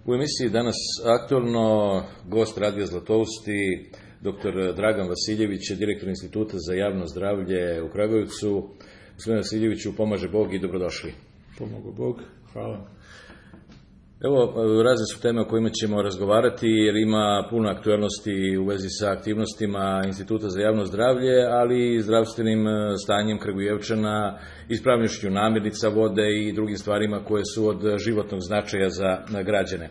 U emisiji danas aktualno gost Radija Zlatousti, dr. Dragan Vasiljević, direktor Instituta za javno zdravlje u Kragujevcu. Gospodine Vasiljeviću, pomaže Bog i dobrodošli. Pomogu Bog, hvala. Evo, razne su teme o kojima ćemo razgovarati, jer ima puno aktuelnosti u vezi sa aktivnostima Instituta za javno zdravlje, ali i zdravstvenim stanjem Kragujevčana, ispravnošću namirnica, vode i drugim stvarima koje su od životnog značaja za građane.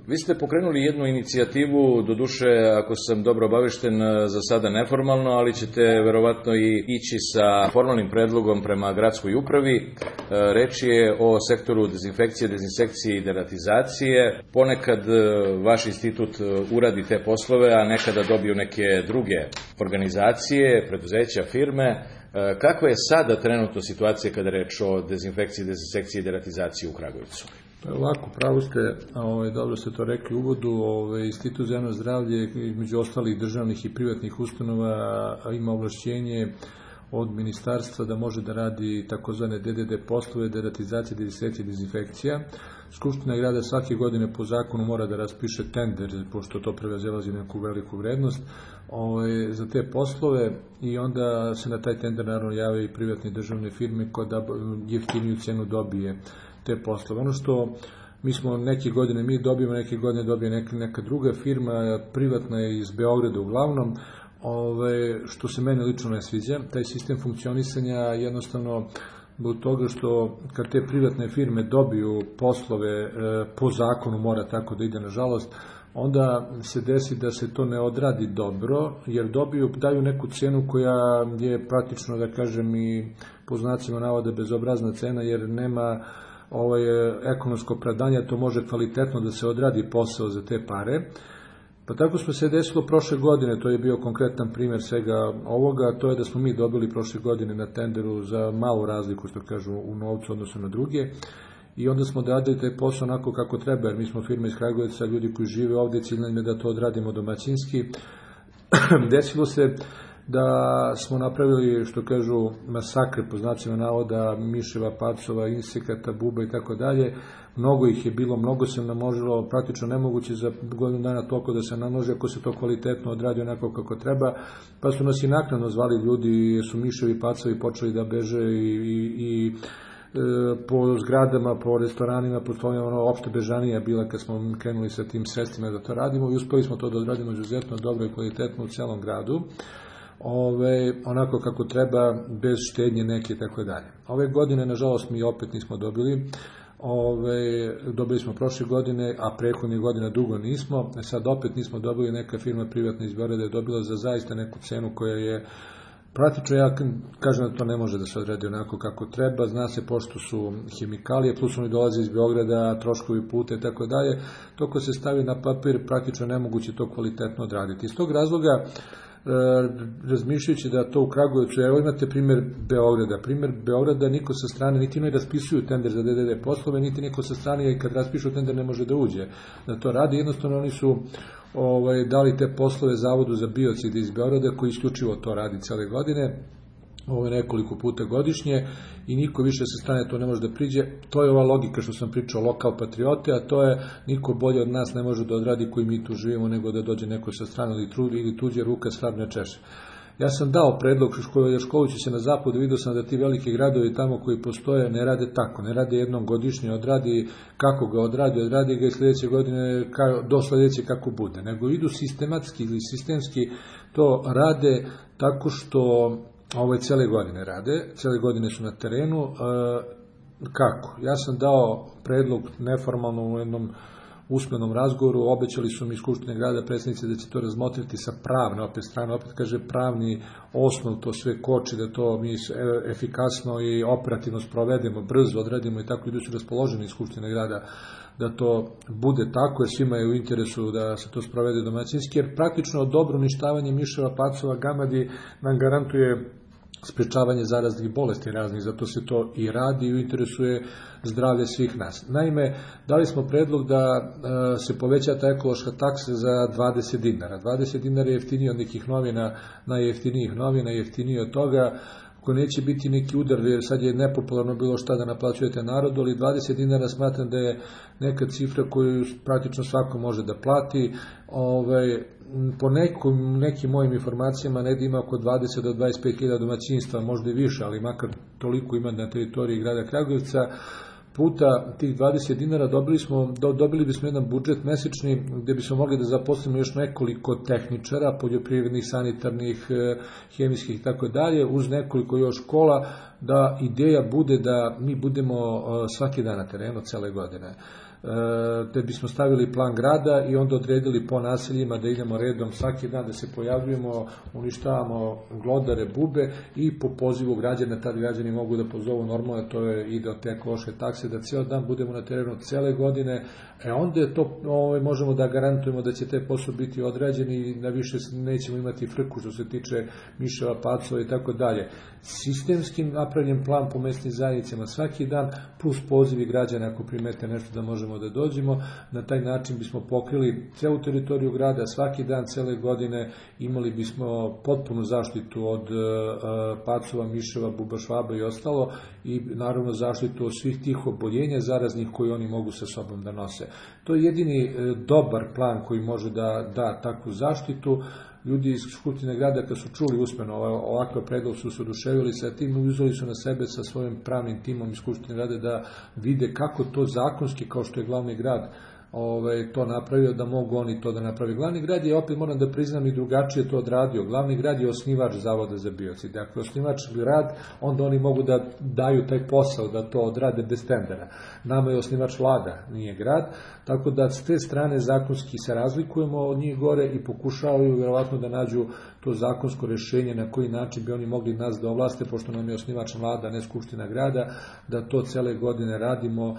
Vi ste pokrenuli jednu inicijativu, doduše, ako sam dobro obavešten, za sada neformalno, ali ćete verovatno i ići sa formalnim predlogom prema gradskoj upravi. Reč je o sektoru dezinfekcije, dezinsekcije i deratizacije. Ponekad vaš institut uradi te poslove, a nekada dobiju neke druge organizacije, preduzeća, firme. Kakva je sada trenutno situacija kada je reč o dezinfekciji, dezinsekciji i deratizaciji u Kragujevcu? Ovako, pravo ste, dobro ste to rekli u uvodu, Institut za javno zdravlje, između ostalih državnih i privatnih ustanova, ima ovlašćenje od ministarstva da može da radi takozvane DDD poslove, deratizacije, dezinsekcije i dezinfekcija. Skupština grada svake godine po zakonu mora da raspiše tender, pošto to prevazilazi neku veliku vrednost, za te poslove, i onda se na taj tender naravno jave i privatne državne firme koja da jeftiniju cenu dobije te poslove. Ono što mi smo neke godine mi dobijemo, neke godine dobije neka druga firma, privatna je iz Beograda uglavnom, što se meni lično ne sviđa. Taj sistem funkcionisanja jednostavno zbog toga što kad te privatne firme dobiju poslove, po zakonu mora tako da ide nažalost, onda se desi da se to ne odradi dobro, jer daju neku cenu koja je praktično, da kažem, i po znacima navoda bezobrazna cena, jer nema ekonomsko opravdanje, to može kvalitetno da se odradi posao za te pare. Pa tako smo se desilo prošle godine, to je bio konkretan primjer svega ovoga, to je da smo mi dobili prošle godine na tenderu za malu razliku, što kažu, u novcu odnosno na druge, i onda smo radili taj posao onako kako treba, jer mi smo firma iz Kragujevca, ljudi koji žive ovdje, cilj nam je da to odradimo domaćinski. Desilo se da smo napravili, što kažu, masakre po znacima navoda, miševa, pacova, insekata, buba i tako dalje. Mnogo ih je bilo, mnogo se namnožilo, praktično nemoguće za godinu dana toliko da se namnoži ako se to kvalitetno odradi onako kako treba. Pa su nas i naknadno zvali ljudi, jer su miševi, pacovi počeli da beže i po zgradama, po restoranima, po stolovima, opšte bežanija bila kad smo krenuli sa tim sredstvima da to radimo, i uspeli smo to da odradimo izuzetno dobro i kvalitetno u celom gradu. Onako kako treba, bez štednje neke i tako dalje. Ove godine, nažalost, mi opet nismo dobili. Dobili smo prošle godine, a prethodne godine dugo nismo. Sad opet nismo dobili, neka firma privatna iz Beograda je dobila za zaista neku cenu koja je praktično, ja kažem da to ne može da se odradi onako kako treba, zna se pošto su hemikalije, plus oni dolaze iz Beograda, troškovi puta i tako dalje, to ko se stavi na papir, praktično nemoguće to kvalitetno odraditi. Iz tog razloga, razmišljajući da to u Kragujevcu, evo imate primjer Beograda, niko sa strane, niti ne raspisuju tender za DDD poslove, niti niko sa strane, i kad raspišu tender ne može da uđe da to radi, jednostavno oni su dali te poslove Zavodu za biocide iz Beograda, koji isključivo to radi cele godine, nekoliko puta godišnje, i niko više sa strane to ne može da priđe. To je ova logika što sam pričao, lokal patriote, a to je niko bolje od nas ne može da odradi koji mi tu živimo, nego da dođe neko sa strane ili tuđe ruka svrab ne češe. Ja sam dao predlog, školujući se na zapadu, vidio sam da ti veliki gradovi tamo koji postoje ne rade tako, ne rade jednom godišnje, odradi kako ga odradi ga i sljedeće godine do sljedeće kako bude, nego idu sistematski ili sistemski to rade tako što cele godine rade, cele godine su na terenu. Kako? Ja sam dao predlog neformalno u jednom usmenom razgovoru, obećali su mi iz Skupštine grada predstavnici da će to razmotriti sa pravne strane, opet kaže pravni osnov, to sve koči da to mi efikasno i operativno sprovedemo, brzo odradimo i tako, idu su raspoloženi iz Skupštine grada da to bude tako, jer svima je u interesu da se to sprovede domaćinski, jer praktično dobro uništavanje miševa, pacova, gamadi nam garantuje sprečavanje zaraznih bolesti raznih, zato se to i radi i u interesu je zdravlje svih nas. Naime, dali smo predlog da se poveća ta ekološka taksa za 20 dinara. 20 dinara je jeftinije od nekih novina, najjeftinijih novina, jeftinije od toga. ako neće biti neki udar, jer sad je nepopularno bilo šta da naplaćujete narodu, ali 20 dinara smatram da je neka cifra koju praktično svako može da plati. Po nekim mojim informacijama negdje ima oko 20 do 25.000 domaćinstva, možda i više, ali makar toliko ima na teritoriji grada Kragujevca. Puta tih 20 dinara dobili bismo jedan budžet mesečni gdje bismo mogli da zaposlimo još nekoliko tehničara, poljoprivrednih, sanitarnih, hemijskih i tako dalje, uz nekoliko još škola, da ideja bude da mi budemo svaki dan na terenu cele godine. Da bismo stavili plan grada i onda odredili po naseljima da idemo redom svaki dan, da se pojavljujemo, uništavamo glodare, bube i po pozivu građana, tad građani mogu da pozovu normalno, to ide od te ekološke takse, da ceo dan budemo na terenu cele godine, onda je to, možemo da garantujemo da će te posao biti odrađeni i da više nećemo imati frku što se tiče miševa, pacova i tako dalje. Sistemskim napravljen plan po mesnim zajednicama svaki dan, plus pozivi građana ako primete nešto da možemo da dođemo. Na taj način bismo pokrili celu teritoriju grada, svaki dan, cele godine imali bismo potpunu zaštitu od pacova, miševa, buba, švaba i ostalo i naravno zaštitu od svih tih oboljenja zaraznih koji oni mogu sa sobom da nose. To je jedini dobar plan koji može da da takvu zaštitu. Ljudi iz Skupštine grada kad su čuli usmeno ovakav predlog su se oduševili sa tim i uzeli su na sebe sa svojim pravnim timom iz Skupštine grada da vide kako to zakonski, kao što je glavni grad to napravio, da mogu oni to da napravi. Glavni grad je, opet moram da priznam, i drugačije to odradio. Glavni grad je osnivač Zavoda za biocid. Ako je osnivač grad, onda oni mogu da daju taj posao, da to odrade bez tendera. Nama je osnivač vlada, nije grad, tako da s te strane zakonski se razlikujemo od njih gore i pokušavaju vjerovatno da nađu to zakonsko rešenje na koji način bi oni mogli nas da ovlaste, pošto nam je osnivač vlada, ne Skupština grada, da to cele godine radimo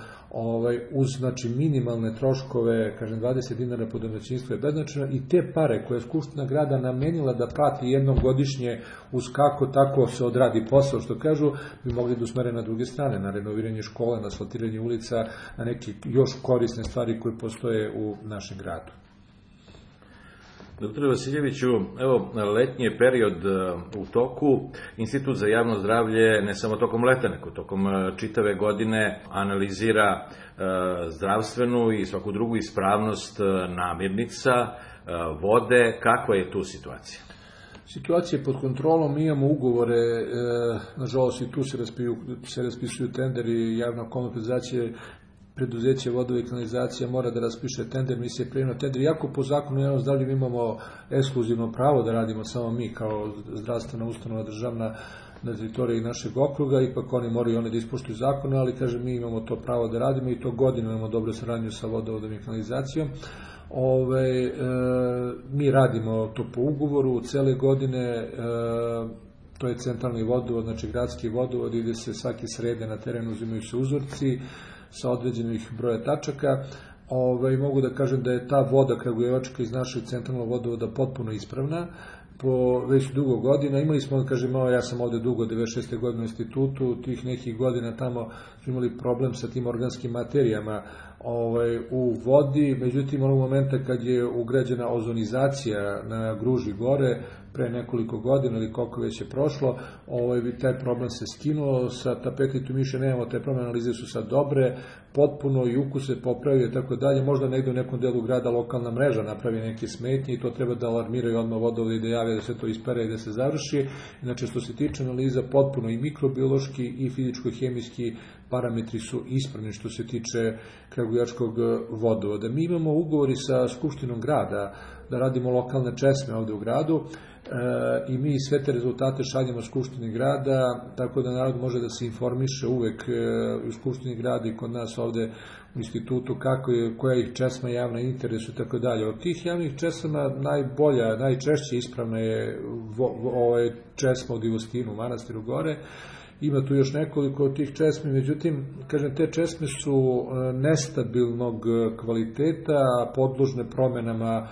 uz minimalne troškove, kažem 20 dinara po domaćinstvu je beznačajno i te pare koje je Skupština grada namenila da plati jednom godišnje uz kako tako se odradi posao, što kažu, bi mogli da usmere na druge strane, na renoviranje škola, na asfaltiranje ulica, na neke još korisne stvari koje postoje u našem gradu. Doktore Vasiljeviću, evo, letnji je period u toku. Institut za javno zdravlje ne samo tokom leta, nego tokom čitave godine analizira zdravstvenu i svaku drugu ispravnost namirnica, vode. Kakva je tu situacija? Situacija je pod kontrolom, mi imamo ugovore, nažalost i tu se raspisuju tenderi, javna komunalna preduzeće vodova i kanalizacija mora da raspiše tender, mi se prijemno tender, iako po zakonu o javnom zdravlju imamo ekskluzivno pravo da radimo samo mi kao zdravstvena ustanova državna na teritoriji našeg okruga, ipak oni moraju da ispoštuju zakone, ali kažem mi imamo to pravo da radimo i to godinu imamo dobru saradnju sa vodovodom i kanalizacijom. Mi radimo to po ugovoru cele godine, to je centralni vodovod, znači gradski vodovod, ide se svake srede na terenu, uzimaju se uzorci sa određenih broja tačaka. Mogu da kažem da je ta voda kragujevačka iz našeg centralnog vodovoda potpuno ispravna, po već dugo godina. Imali smo, ja sam ovde dugo, 96. godine u institutu, tih nekih godina tamo smo imali problem sa tim organskim materijama u vodi, međutim onog momenta kad je ugrađena ozonizacija na Gruži gore, pre nekoliko godina ili koliko već je prošlo, taj problem se skinuo, sa tapete tu više nemamo, te problem, analize su sad dobre, potpuno i ukus se popravio i tako dalje, možda negde u nekom delu grada lokalna mreža napravi neke smetnje i to treba da alarmiraju odmah vodovode i da jave da se to ispere i da se završi. Inače, što se tiče analiza, potpuno i mikrobiološki i fizičko-hemijski parametri su ispravni što se tiče kragujevačkog vodovoda. Mi imamo ugovori sa Skupštinom grada da radimo lokalne česme ovde u gradu i mi sve te rezultate šaljemo Skupštini grada, tako da narod može da se informiše uvek u Skupštini grada i kod nas ovde u institutu koja ih česma javna interesu i tako dalje. Od tih javnih česama najbolja, najčešće ispravna je česma u Divostinu, u manastiru gore. Ima tu još nekoliko od tih česmi, međutim, kažem, te česme su nestabilnog kvaliteta, podložne promenama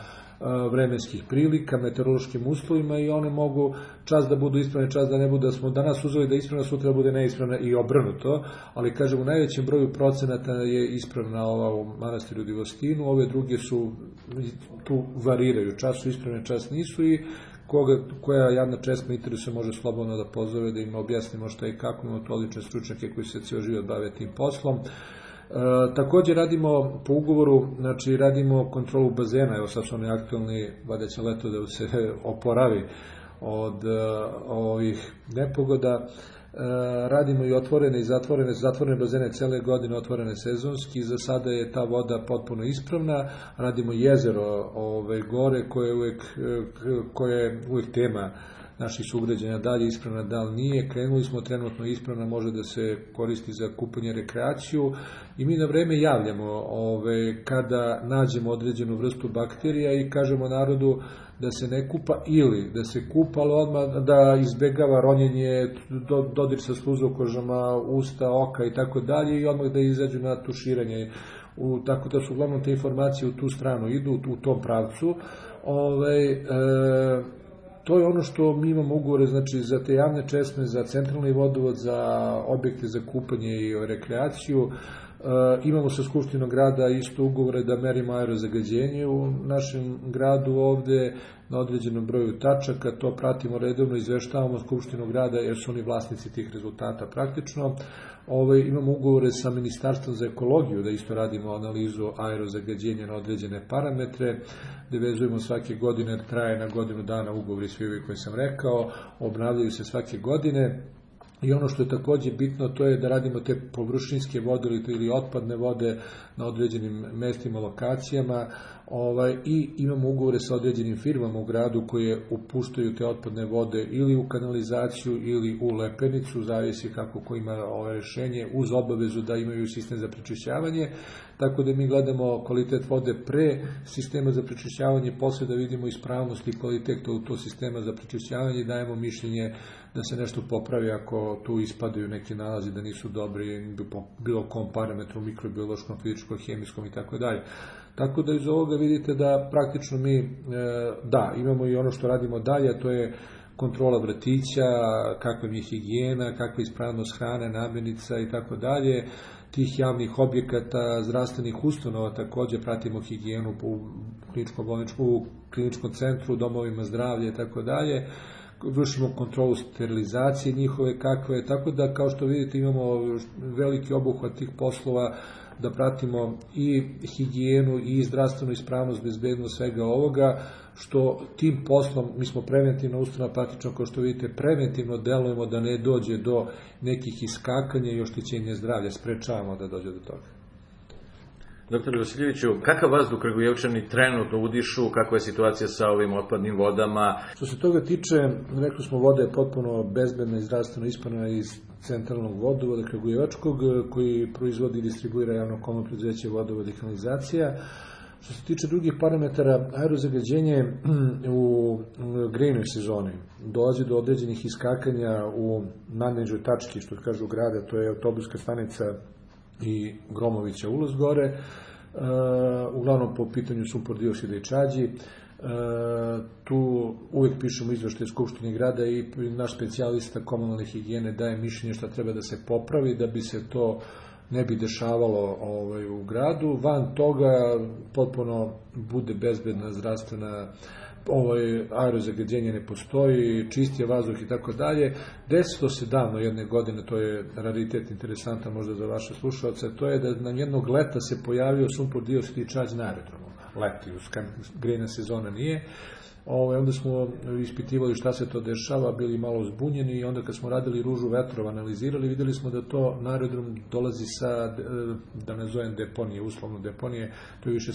vremenskih prilika, meteorološkim uslovima i one mogu čas da budu ispravne, čas da ne budu, da smo danas uzeli da je ispravna, sutra bude neispravna i obrnuto, ali kažem, u najvećem broju procenata je ispravna ova u manastiru Divostinu, ove druge su tu variraju, čas su ispravne, čas nisu i koja javna česma interesuje može slobodno da pozove, da im objasnimo šta i kako, imamo to odlične stručnjake koji se cijel život bave tim poslom. Također radimo po ugovoru, znači radimo kontrolu bazena, evo sad su oni aktualni, vada će leto da se oporavi od ovih nepogoda. Radimo i otvorene i zatvorene bazene cele godine, otvorene sezonski, za sada je ta voda potpuno ispravna. Radimo jezero gore koje je uvijek tema naših sugrađana, da li je ispravna, da li nije. Krenuli smo, trenutno ispravna, može da se koristi za kupanje, rekreaciju i mi na vreme javljamo kada nađemo određenu vrstu bakterija i kažemo narodu da se ne kupa ili da se kupa, ali odmah da izbegava ronjenje, dodir sa sluzokožama, usta, oka i tako dalje i odmah da izađu na tuširanje. Tako da su uglavnom te informacije u tu stranu idu, u tom pravcu. To je ono što mi imamo ugovore, znači za te javne česme, za centralni vodovod, za objekte za kupanje i rekreaciju. Imamo sa Skupštinom grada isto ugovore da merimo aerozagađenje u našem gradu ovde na određenom broju tačaka, to pratimo redovno, izveštavamo Skupštinu grada jer su oni vlasnici tih rezultata praktično. Imamo ugovore sa Ministarstvom za ekologiju da isto radimo analizu aerozagađenja na određene parametre, gde vezujemo svake godine, jer traje na godinu dana ugovori svi ovi koje sam rekao, obnavljaju se svake godine. I ono što je također bitno, to je da radimo te površinske vode ili otpadne vode na određenim mestima, lokacijama i imamo ugovore sa određenim firmama u gradu koje upuštaju te otpadne vode ili u kanalizaciju ili u lepenicu, zavisi kako ko ima rešenje, uz obavezu da imaju sistem za prečišćavanje. Tako da mi gledamo kvalitet vode pre sistema za prečišćavanje, posle da vidimo ispravnost i kvalitet u to sistema za prečišćavanje i dajemo mišljenje da se nešto popravi ako tu ispadaju neki nalazi da nisu dobri po bilo kom parametru, mikrobiološkom, fizičkom, hemijskom i tako dalje. Tako da iz ovoga vidite da praktično mi, imamo i ono što radimo dalje, a to je kontrola vrtića, kakva je higijena, kakva je ispravnost hrane, namirnica i tako dalje, tih javnih objekata, zdravstvenih ustanova, također pratimo higijenu u kliničkom centru, domovima zdravlja i tako dalje, vršimo kontrolu sterilizacije njihove kakve, tako da kao što vidite imamo veliki obuhvat tih poslova da pratimo i higijenu i zdravstvenu ispravnost, bezbednost svega ovoga, što tim poslom, mi smo preventivna ustanova, praktično kao što vidite, preventivno delujemo da ne dođe do nekih iskakanja i oštećenja zdravlja, sprečavamo da dođe do toga. Dr. Vasiljeviću, kakav vazduh Kragujevčani trenutno udišu, kakva je situacija sa ovim otpadnim vodama? Što se toga tiče, rekli smo, voda je potpuno bezbedna i zdravstveno ispravna iz centralnog vodovoda Kragujevačkog, koji proizvodi i distribuira javno komunalno preduzeće Vodovod i kanalizacija. Što se tiče drugih parametara, aerozagađenje u grejnoj sezoni dolazi do određenih iskakanja u nadnižoj tački, što kažu grada, to je autobuska stanica i Gromovića ulaz gore, uglavnom po pitanju sumpor dioksida i čađi. Tu uvijek pišemo izveštaje Skupštine grada i naš specijalista komunalne higijene daje mišljenje šta treba da se popravi da bi se to ne bi dešavalo u gradu. Van toga potpuno bude bezbedna zdravstvena aerozagađenje ne postoji, čist je vazduh i tako dalje. Desilo se davno jedne godine, to je raritet interesantan možda za vaše slušalce, to je da nam jednog leta se pojavio sumpor dioksid i čađ na aerodromu. Leti, grejna sezona nije. Onda smo ispitivali šta se to dešava, bili malo zbunjeni i onda kad smo radili ružu vetrova, analizirali, videli smo da to na aerodrom dolazi sa, da ne zovem deponije, uslovno deponije, to je više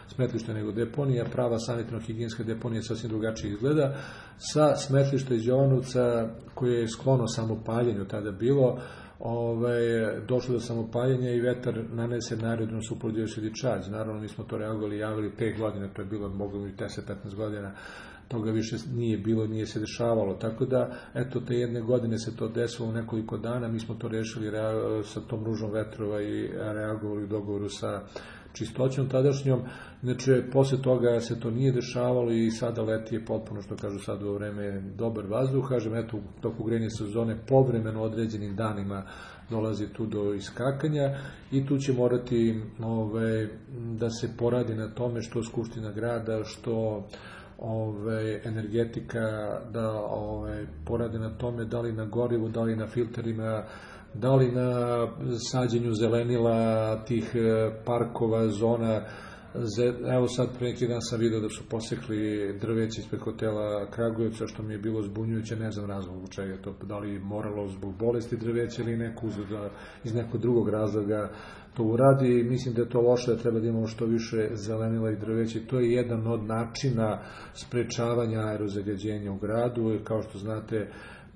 smetlište nego deponija, prava sanitarno-higijenska deponija sasvim drugačije izgleda, sa smetlišta iz Jovanovca koje je sklono samopaljenju tada bilo, došlo do samopaljenja i vetar nanese na aerodrom sumpor dioksid i čađ. Naravno, mi smo to reagovali, javili 5 godina, to je bilo moglo i 10-15 godina, toga više nije bilo, nije se dešavalo. Tako da, eto, te jedne godine se to desilo u nekoliko dana, mi smo to rešili sa tom ružom vetrova i reagovali u dogovoru sa čistoćom tadašnjom. Znači, posle toga se to nije dešavalo i sada leti je potpuno, što kažu sad u vreme, dobar vazduh. Kažem, eto, u toku grejne sezone povremeno određenim danima dolazi tu do iskakanja i tu će morati da se poradi na tome što Skupština grada, što energetika, da porade na tome, da li na gorivu, da li na filterima, da li na sađenju zelenila, tih parkova, zona. Evo sad pre neki dan sam vidio da su posekli drveće ispred hotela Kragujevca, što mi je bilo zbunjujuće, ne znam razlog zbog čega to, da li moralo zbog bolesti drveća ili neko iz nekog drugog razloga to uradi. Mislim da je to loše, da treba da imamo što više zelenila i drveća. To je jedan od načina sprečavanja aerozagađenja u gradu. Kao što znate,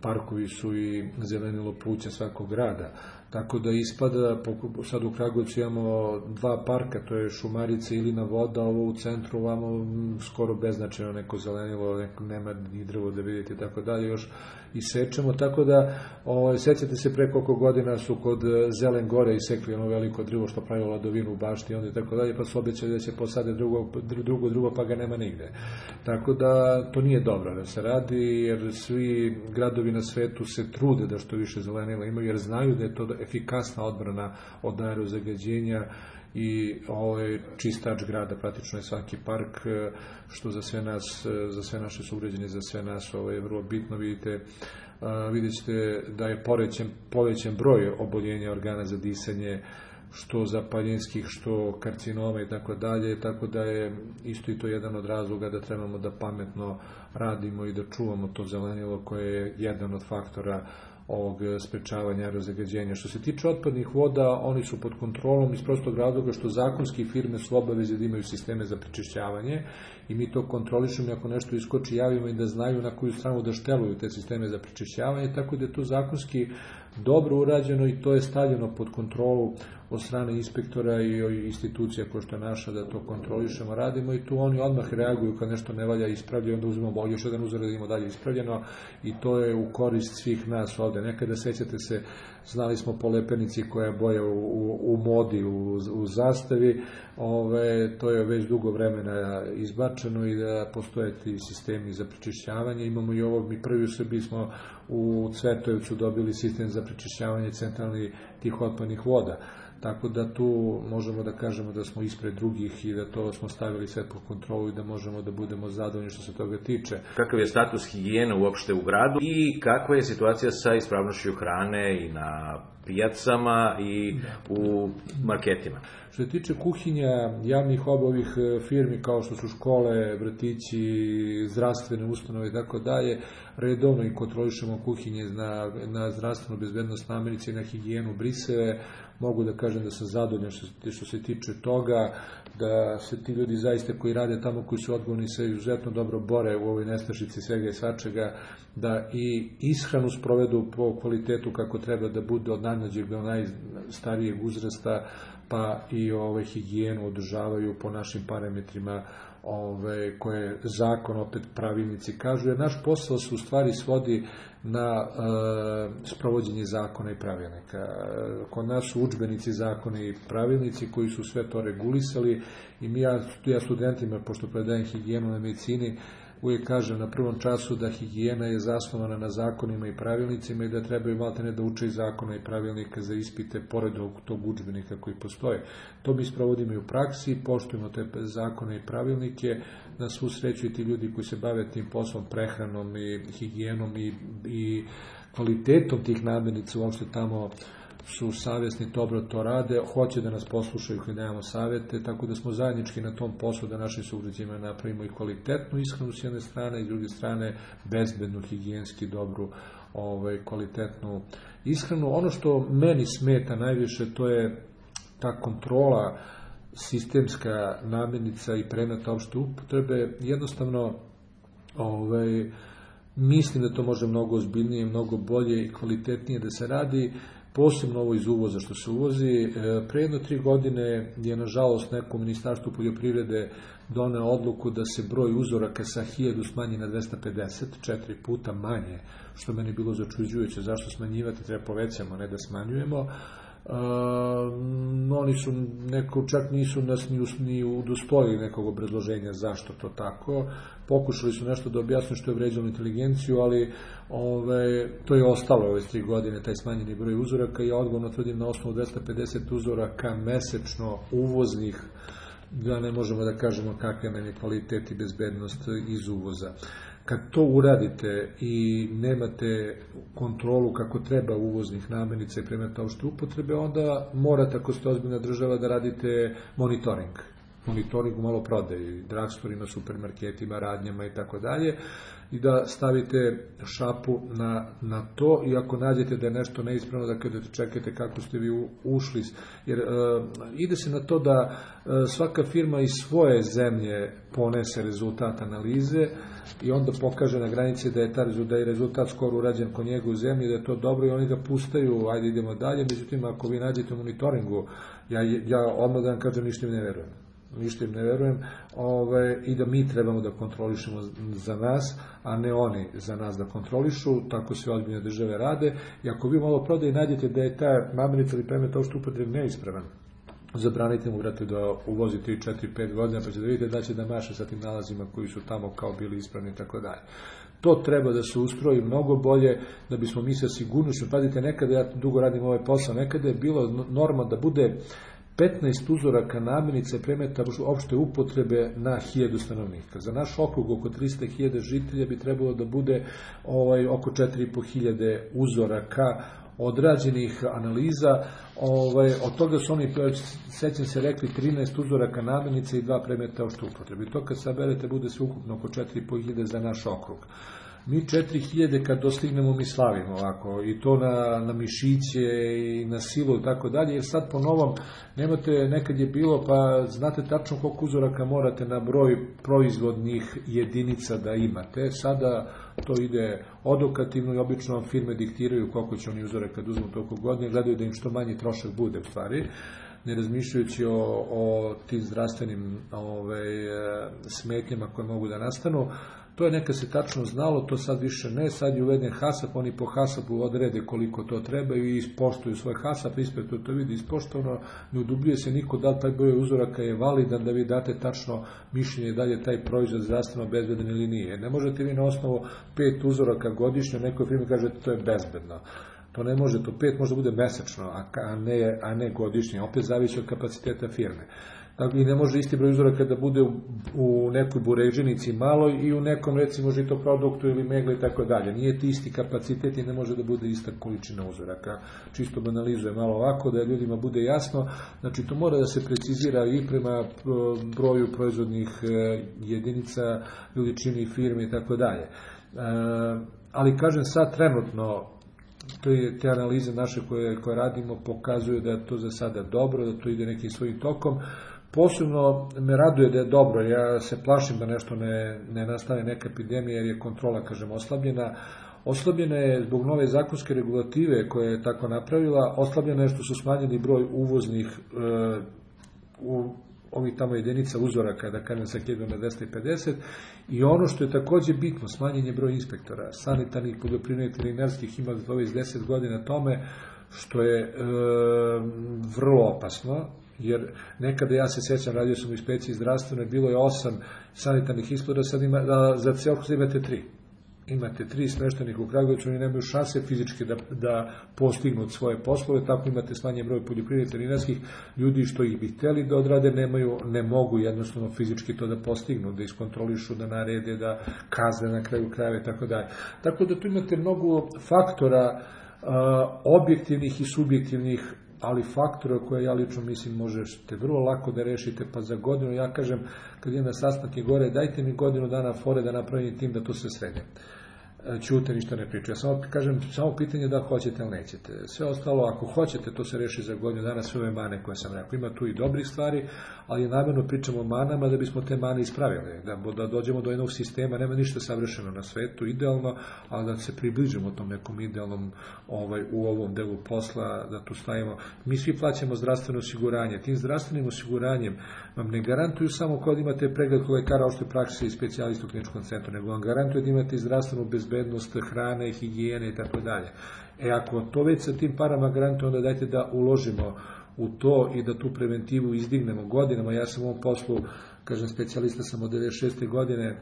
parkovi su i zelenilo pluća svakog grada. Tako da ispada, sad u Kragujevcu imamo 2 parka, to je Šumarica i Ilina voda, ovo u centru ovamo skoro beznačajno neko zelenilo, nema ni drvo da vidite, tako dalje, još isečemo, tako da sećate se pre koliko godina su kod Zelen gore isekli ono veliko drvo što pravilo ladovinu u bašti, onda i tako dalje, pa su obećali da će posade drugo, pa ga nema nigde. Tako da to nije dobro da se radi, jer svi gradovi na svetu se trude da što više zelenila imaju, jer znaju da je to efikasna odbrana od aerozagađenja i čistač grada, praktično je svaki park, što za sve nas, za sve naše sugrađane, za sve nas je vrlo bitno. Vidjet ćete da je povećan broj oboljenja organa za disanje, što zapaljenskih, što karcinoma i tako dalje, tako da je isto i to jedan od razloga da trebamo da pametno radimo i da čuvamo to zelenilo koje je jedan od faktora ovog sprečavanja aerozagađenja. Što se tiče otpadnih voda, oni su pod kontrolom iz prostog razloga što zakonski firme su obaveze da imaju sisteme za prečišćavanje i mi to kontrolišemo i ako nešto iskoči javimo i da znaju na koju stranu da šteluju te sisteme za prečišćavanje, tako da je to zakonski dobro urađeno i to je stavljeno pod kontrolu od strane inspektora i institucija koja što je naša da to kontrolišemo, radimo i tu oni odmah reaguju kad nešto ne valja, ispravljaju, onda uzmemo još jedan uzor da imamo dalje ispravljeno i to je u korist svih nas ovde. Nekada, sećate se, znali smo po lepenici koja je boja u modi, u zastavi, to je već dugo vremena izbačeno i da postoje ti sistemi za prečišćavanje. Imamo i ovo, mi prvi u Srbiji smo u Cvetojevcu dobili sistem za prečišćavanje centralnih tih otpadnih voda. Tako da tu možemo da kažemo da smo ispred drugih i da to smo stavili sve pod kontrolu i da možemo da budemo zadovoljni što se toga tiče. Kakav je status higijene uopšte u gradu i kakva je situacija sa ispravnošću hrane i na pijacama i u marketima? Što se tiče kuhinja, javnih ovih firmi kao što su škole, vrtići, zdravstvene ustanove i tako dalje, redovno i kontrolišemo kuhinje na zdravstvenu bezbednost namirnice i na higijenu briseve. Mogu da kažem da sam zadovoljan što se tiče toga, da se ti ljudi zaista koji rade tamo, koji su odgovorni, se izuzetno dobro bore u ovoj nestašici svega i svačega, da i ishranu sprovedu po kvalitetu kako treba da bude od najmlađeg do najstarijeg uzrasta, pa i higijenu održavaju po našim parametrima koje zakon, opet pravilnici kažu, jer naš posao se u stvari svodi na sprovođenje zakona i pravilnika. Kod nas su udžbenici, zakoni i pravilnici koji su sve to regulisali i ja studentima, pošto predajem higijenu na medicini, uvijek kažem na prvom času da higijena je zasnovana na zakonima i pravilnicima i da trebaju maltene da uče i zakona i pravilnika za ispite pored tog udžbenika koji postoje. To mi sprovodimo i u praksi, poštujemo te zakone i pravilnike, na svu sreću i ti ljudi koji se bave tim poslom, prehranom i higijenom i kvalitetom tih namirnica uopšte tamo su savjesni, dobro to rade, hoće da nas poslušaju koji nemamo savjete, tako da smo zajednički na tom poslu da našim sugrađanima napravimo i kvalitetnu ishranu s jedne strane i s druge strane bezbednu, higijenski dobru, kvalitetnu ishranu. Ono što meni smeta najviše, to je ta kontrola sistemska namirnica i predmeta opšte upotrebe. Jednostavno mislim da to može mnogo ozbiljnije, mnogo bolje i kvalitetnije da se radi, posebno ovo iz uvoza što se uvozi. Pre 3 godine je nažalost neko ministarstvo poljoprivrede doneo odluku da se broj uzoraka sa 1000 smanji na 250, 4 puta manje, što meni bilo začuđujuće. Zašto smanjivati, treba povećamo, ne da smanjujemo. Oni su čak nisu nas ni udostojili nekog obrazloženja zašto to tako. Pokušali su nešto da objasne što je vređalo inteligenciju, ali to je ostalo ove 3 godine, taj smanjeni broj uzoraka. Ja odgovorno tvrdim na osnovu 250 uzoraka mesečno uvoznih da ne možemo da kažemo kakav nam je kvalitet i bezbednost iz uvoza. Kad to uradite i nemate kontrolu kako treba uvoznih namirnica i predmeta opšte upotrebe, onda morate, ako ste ozbiljna država, da radite monitoring u maloprodaji, drugstore-ima, supermarketima, radnjama i tako dalje, i da stavite šapu na to, i ako nađete da je nešto neispravno, da kada čekate kako ste vi ušli, jer ide se na to da svaka firma iz svoje zemlje ponese rezultat analize i onda pokaže na granici da je rezultat skoro urađen kod njega u zemlji, da je to dobro, i oni ga pustaju, ajde idemo dalje. Međutim, ako vi nađete u monitoringu, ja odmah da vam kažem, ništa im ne verujem, i da mi trebamo da kontrolišemo za nas, a ne oni za nas da kontrolišu. Tako sve ozbiljne države rade. I ako vi malo prodaje nađete da je ta namirnica ili predmet opšte upotrebe neispravan, zabranite mu, brate, da uvozi 3, 4, 5 godina, pa ćete da vidite da će da maše sa tim nalazima koji su tamo kao bili ispravni i tako dalje. To treba da se ustroji mnogo bolje, da bismo mi sa sigurnošću, pazite, nekada, ja dugo radim ovaj posao, nekada je bilo norma da bude 15 uzoraka namirnica i predmeta opšte upotrebe na 1000 stanovnika. Za naš okrug oko 300.000 žitelja bi trebalo da bude oko 4.500 uzoraka odrađenih analiza. Od toga su oni, sećam se, rekli 13 uzoraka namirnica i 2 predmeta opšte upotrebe. To kad saberete bude sve ukupno oko 4.500 za naš okrug. Mi 4.000 kad dostignemo mi slavimo ovako, i to na mišiće i na silu i tako dalje, jer sad po novom nemate, nekad je bilo, pa znate tačno koliko uzoraka morate na broj proizvodnih jedinica da imate. Sada to ide odokativno i obično vam firme diktiraju koliko će oni uzoraka kad uzmu toliko godine, gledaju da im što manji trošak bude u stvari, ne razmišljajući o tim zdravstvenim smetnjama koje mogu da nastanu. To je nekad se tačno znalo, to sad više ne, sad je uveden HASAP, oni po HASAP-u odrede koliko to treba i ispoštuju svoj HASAP, inspektor to vidi ispoštovano, ne udubljuje se niko da li taj broj uzoraka je validan, da vi date tačno mišljenje da li je taj proizvod zdravstveno bezbedan ili nije. Ne možete vi na osnovu 5 uzoraka godišnje, nekoj firmi kažete to je bezbedno. To ne može, to 5 može bude mesečno, a ne godišnje, opet zavisi od kapaciteta firme. I ne može isti broj uzoraka da bude u nekoj buređenici malo i u nekom, recimo, žitoproduktu ili megli i tako dalje. Nije ti isti kapacitet i ne može da bude ista količina uzoraka. Čisto banalizuje malo ovako, da ljudima bude jasno. Znači, to mora da se precizira i prema broju proizvodnih jedinica, veličini firme i tako dalje. Ali, kažem, sad trenutno, te analize naše koje radimo pokazuju da je to za sada dobro, da to ide nekim svojim tokom. Posebno me raduje da je dobro, ja se plašim da nešto ne nastane neka epidemija, jer je kontrola, kažem, oslabljena. Oslabljena je zbog nove zakonske regulative koje je tako napravila, oslabljena je što su smanjeni broj uvoznih ovih tamo jedinica uzoraka, da kažem, sa 1000 na 250, i ono što je takođe bitno, smanjen je broj inspektora, sanitarnih, poljoprivrednih, veterinarskih, ima već 10 godina tome, što je vrlo opasno, jer nekada, ja se sećam, radio sam u inspekciji zdravstvene, bilo je 8 sanitarnih inspektora, sad za ceo krug imate 3. Imate 3 smeštenih u Kragujevcu, oni nemaju šanse fizički da postignu svoje poslove, tako imate smanjen broj poljoprivrednih veterinarskih ljudi što ih bi hteli da odrade, ne mogu jednostavno fizički to da postignu, da iskontrolišu, da narede, da kazne na kraju krajeva i tako dalje. Tako da tu imate mnogo faktora objektivnih i subjektivnih, ali faktora koje ja lično mislim možete vrlo lako da rešite, pa za godinu, ja kažem, kad idem na sastanke gore, dajte mi godinu dana fore da napravim tim da to sve sredem. Ćute, ništa ne priču. Ja samo kažem, samo pitanje da hoćete ili nećete. Sve ostalo, ako hoćete, to se reši za godinu dana, sve ove mane koje sam rekao. Ima tu i dobrih stvari, ali namjerno pričamo o manama da bismo te mane ispravili, da dođemo do jednog sistema, nema ništa savršeno na svetu, idealno, ali da se približimo tom nekom idealnom u ovom delu posla, da tu stavimo. Mi svi plaćamo zdravstveno osiguranje. Tim zdravstvenim osiguranjem vam ne garantuju samo kod imate pregled kod lekara opšte prakse i specijalista u kliničkom centru, nego vam garantuje da imate zdravstvenu bezbednost hrane, higijene i tako dalje. Ako to već sa tim parama garantuje, onda dajte da uložimo u to i da tu preventivu izdignemo godinama. Ja sam u ovom poslu kažem, specijalista sam od 96. godine,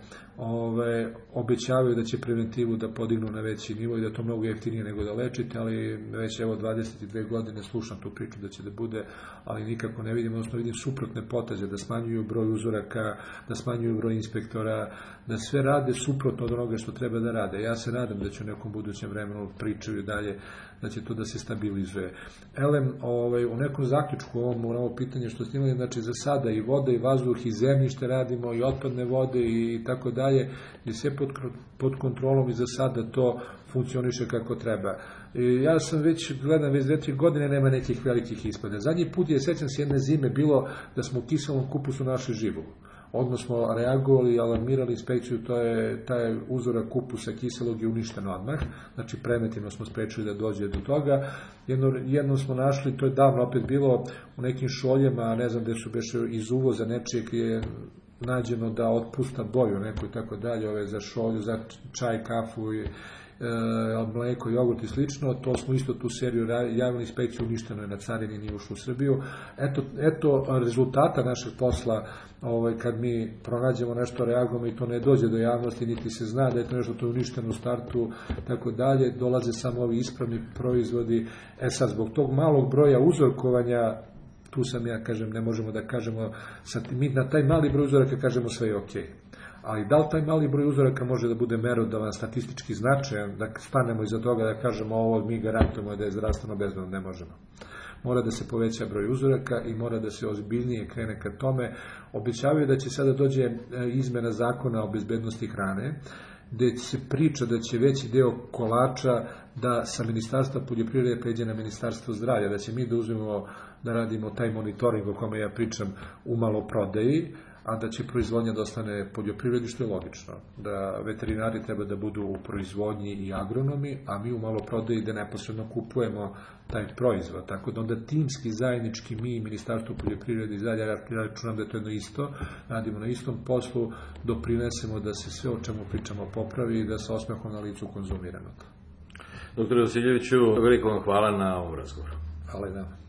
obećavaju da će preventivu da podignu na veći nivo i da je to mnogo jeftinije nego da lečite, ali već 22 godine slušam tu priču da će da bude, ali nikako ne vidim, odnosno vidim suprotne poteze, da smanjuju broj uzoraka, da smanjuju broj inspektora, da sve rade suprotno od onoga što treba da rade. Ja se nadam da će u nekom budućem vremenu pričaju dalje, da će to da se stabilizuje. Elem, u nekom zaključku ovo pitanje što ste imali, znači za sada i voda i vazduh i zemljište radimo i otpadne vode i tako dalje, i sve pod kontrolom i za sada to funkcioniše kako treba. Ja sam gledam već 2-3 godine, nema nekih velikih ispada. Zadnji put je, sećam se jedne zime, bilo da smo u kiselom kupusu našli živu. Odmah smo reagovali i alarmirali inspekciju, taj uzorak kupusa kiselog je uništen odmah, znači preventivno smo sprečili da dođe do toga. Jednom smo našli, to je davno opet bilo u nekim šoljama, ne znam gde su beše iz uvoza nečijeg, je nađeno da otpusta boju neko i tako dalje, za šolju, za čaj, kafu i mleko, jogurt i slično. To smo isto tu seriju javili, inspekciju uništeno je na carini, nije ušlo u Srbiju. Eto rezultata našeg posla, kad mi pronađemo nešto, reagujemo i to ne dođe do javnosti, niti se zna da je to nešto to uništeno u startu, tako dalje, dolaze samo ovi ispravni proizvodi. Sad, zbog tog malog broja uzorkovanja, tu sam ja, kažem, ne možemo da kažemo, mi na taj mali broj uzoraka kažemo sve je okej. Ali da li taj mali broj uzoraka može da bude merodavan, statistički značajan, da stanemo iza toga da kažemo ovo mi garantujemo da je zdravstveno bezbedno, ne možemo. Mora da se poveća broj uzoraka i mora da se ozbiljnije krene ka tome. Obećavaju da će sada dođe izmena zakona o bezbednosti hrane, gde se priča da će veći deo kolača da sa Ministarstva poljoprivrede pređe na Ministarstvo zdravlja, da će mi da uzmemo da radimo taj monitoring o kome ja pričam u maloprodaji, a da će proizvodnja da ostane poljoprivredi, što je logično. Da veterinari treba da budu u proizvodnji i agronomi, a mi u maloprodaji da neposredno kupujemo taj proizvod. Tako da onda timski, zajednički mi i Ministarstvo poljoprivrede i zadnja, ja računam da je to jedno isto, radimo na istom poslu, doprinesemo da se sve o čemu pričamo popravi i da sa osmehom na licu konzumiramo to. Dr. Vasiljeviću, veliko vam hvala na ovom razgovoru. Hvala i nama.